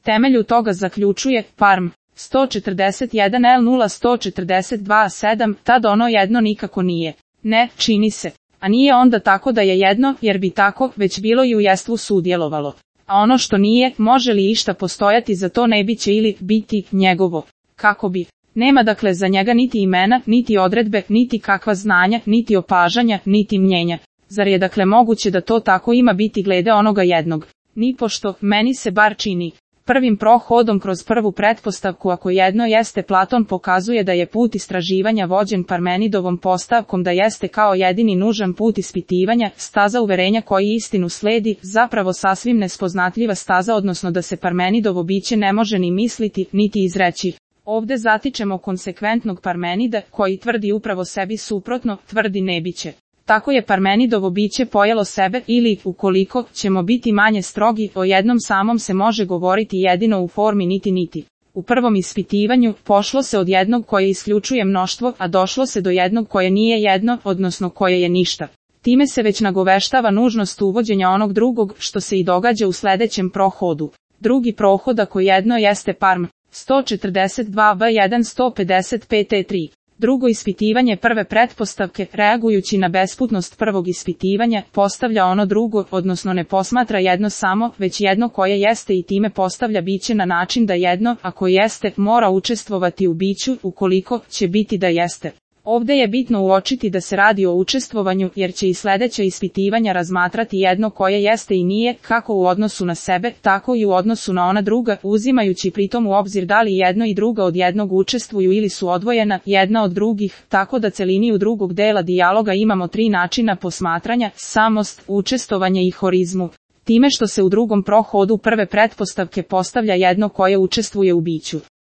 temelju toga zaključuje, Parm, 141L0142-7, tad ono jedno nikako nije. Ne, čini se. A nije onda tako da je jedno, jer bi tako već bilo i u jestvu sudjelovalo. A ono što nije, može li išta postojati za to ne biće ili biti njegovo? Kako bi? Nema dakle za njega niti imena, niti odredbe, niti kakva znanja, niti opažanja, niti mnjenja. Zar je dakle moguće da to tako ima biti glede onoga jednog? Nipošto, meni se bar čini. Prvim prohodom kroz prvu pretpostavku ako jedno jeste, Platon pokazuje da je put istraživanja vođen Parmenidovom postavkom da jeste kao jedini nužan put ispitivanja, staza uverenja koji istinu sledi, zapravo sasvim nespoznatljiva staza, odnosno da se Parmenidovo biće ne može ni misliti, niti izreći. Ovde zatičemo konsekventnog Parmenida, koji tvrdi upravo sebi suprotno, tvrdi nebiće. Tako je Parmenidovo biće pojelo sebe ili, ukoliko ćemo biti manje strogi, o jednom samom se može govoriti jedino u formi niti. U prvom ispitivanju, pošlo se od jednog koje isključuje mnoštvo, a došlo se do jednog koje nije jedno, odnosno koje je ništa. Time se već nagoveštava nužnost uvođenja onog drugog, što se i događa u sledećem prohodu. Drugi prohod ako jedno jeste Parm, 142b1-155e3. Drugo ispitivanje prve pretpostavke, reagujući na besputnost prvog ispitivanja, postavlja ono drugo, odnosno ne posmatra jedno samo, već jedno koje jeste i time postavlja biće na način da jedno, ako jeste, mora učestvovati u biću, ukoliko će biti da jeste. Ovde je bitno uočiti da se radi o učestvovanju, jer će i sledeća ispitivanja razmatrati jedno koje jeste i nije, kako u odnosu na sebe, tako i u odnosu na ona druga, uzimajući pritom u obzir da li jedno i druga od jednog učestvuju ili su odvojena, jedna od drugih, tako da celiniju drugog dela dijaloga imamo tri načina posmatranja, samost, učestvovanje i horizmu. Time što se u drugom prohodu prve pretpostavke postavlja jedno koje učestvuje u biću.